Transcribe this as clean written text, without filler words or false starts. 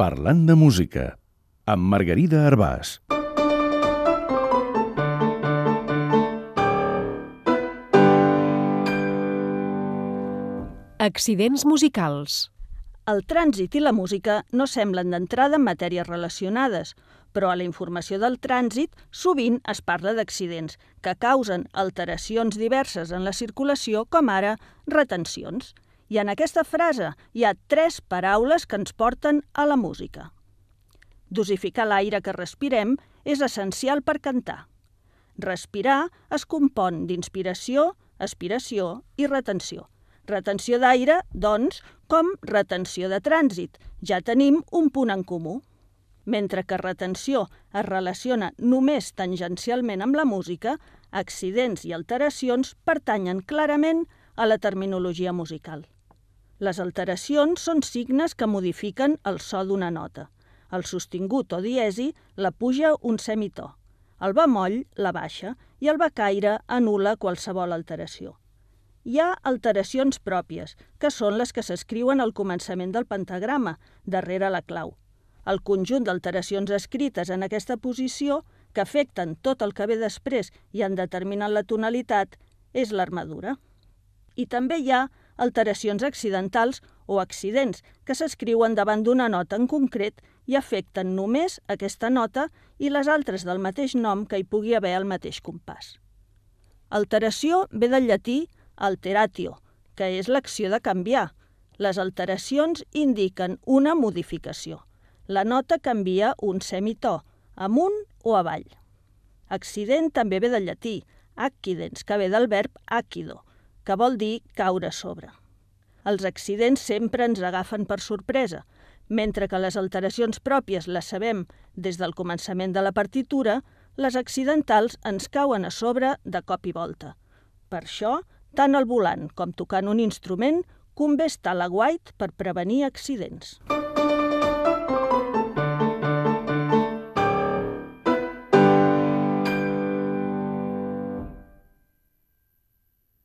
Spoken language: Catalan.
Parlant de música, amb Margarida Arbàs. Accidents musicals. El trànsit i la música no semblen d'entrada matèries relacionades, però a la informació del trànsit sovint es parla d'accidents que causen alteracions diverses en la circulació, com ara retencions. I en aquesta frase hi ha 3 paraules que ens porten a la música. Dosificar l'aire que respirem és essencial per cantar. Respirar es compon d'inspiració, aspiració i retenció. Retenció d'aire, doncs, com retenció de trànsit. Ja tenim un punt en comú. Mentre que retenció es relaciona només tangencialment amb la música, accidents i alteracions pertanyen clarament a la terminologia musical. Les alteracions són signes que modifiquen el so d'una nota. El sostingut o diesi la puja un semitò. El bemoll la baixa i el becaire anul·la qualsevol alteració. Hi ha alteracions pròpies, que són les que s'escriuen al començament del pentagrama, darrere la clau. El conjunt d'alteracions escrites en aquesta posició, que afecten tot el que ve després i en determinen la tonalitat, és l'armadura. I també hi ha alteracions accidentals o accidents, que s'escriuen davant d'una nota en concret i afecten només aquesta nota i les altres del mateix nom que hi pugui haver al mateix compàs. Alteració ve del llatí alteratio, que és l'acció de canviar. Les alteracions indiquen una modificació. La nota canvia un semitò, amunt o avall. Accident també ve del llatí, accidens, que ve del verb accido, que vol dir caure sobre. Els accidents sempre ens agafen per sorpresa, mentre que les alteracions pròpies les sabem des del començament de la partitura, les accidentals ens cauen a sobre de cop i volta. Per això, tant al volant com tocant un instrument, convé estar a l'aguait per prevenir accidents.